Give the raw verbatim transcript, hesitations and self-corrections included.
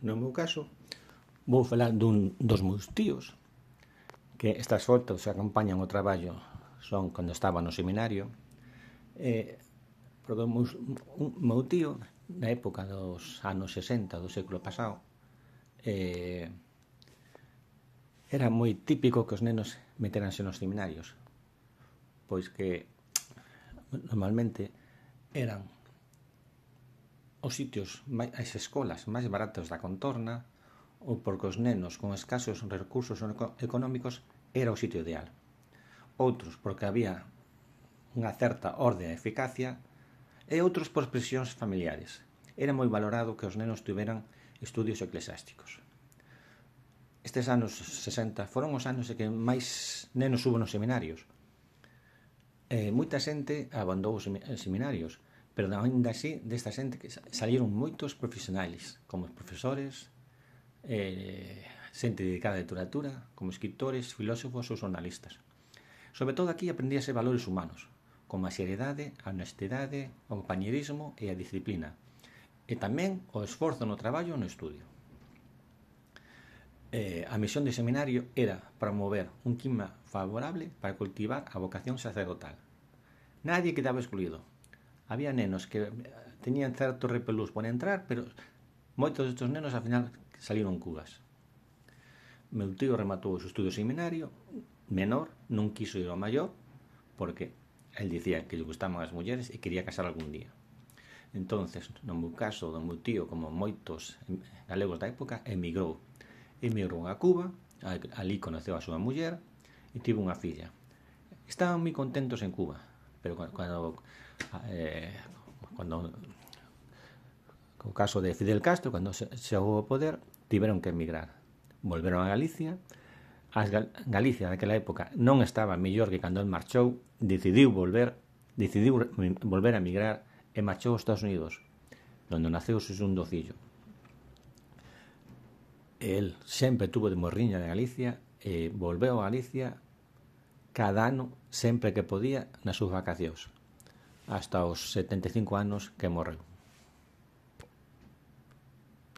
no meu caso, vou falar dun dos meus tíos, que estas fotos que acompañan o traballo son cando estaba no seminario. Eh, porque o meu tío, na época dos anos sesenta do século pasado, eh, era moi típico que os nenos meteranse nos seminarios, pois que normalmente eran os sitios, as escolas máis baratas da contorna, ou porque os nenos con escasos recursos económicos era o sitio ideal. Outros porque había unha certa orde e eficacia, e outros por presións familiares. Era moi valorado que os nenos tiveran estudios eclesiásticos. Estes anos sesenta foron os anos en que máis nenos hubo nos seminarios. E moita xente abandonou os seminarios, pero ainda así desta xente que salieron moitos profesionais, como profesores, eh, xente dedicada a literatura, como escritores, filósofos ou xornalistas. Sobre todo aquí aprendíase valores humanos, como a seriedade, a honestidade, o compañerismo e a disciplina, e tamén o esforzo no traballo e no estudio. Eh, a misión do seminario era promover un clima favorable para cultivar a vocación sacerdotal. Nadie quedaba excluído. Había nenos que tenían certo repelús por entrar, pero moitos destes nenos ao final salieron cubas. Meu tío rematou o seu estudio seminario menor, non quiso ir ao maior, porque el dicía que lle gustaban as mulleres e quería casar algún día. Entonces, no meu caso, do meu tío, como moitos galegos da época, emigrou. Emigrou a Cuba, ali conoceu a súa muller e tivo unha filla. Estaban moi contentos en Cuba, pero cando eh, cando o caso de Fidel Castro, cando chegou ao poder, tiveron que emigrar. Volveron a Galicia. A Galicia daquela época non estaba mellor que cando el marchou, decidiu volver, decidiu volver a emigrar e marchou aos Estados Unidos, onde naceu o seu segundo fillo. El sempre tuvo de morriña de Galicia e volveu a Galicia cada ano, sempre que podía, nas súas vacacións, hasta os setenta e cinco anos que morreu.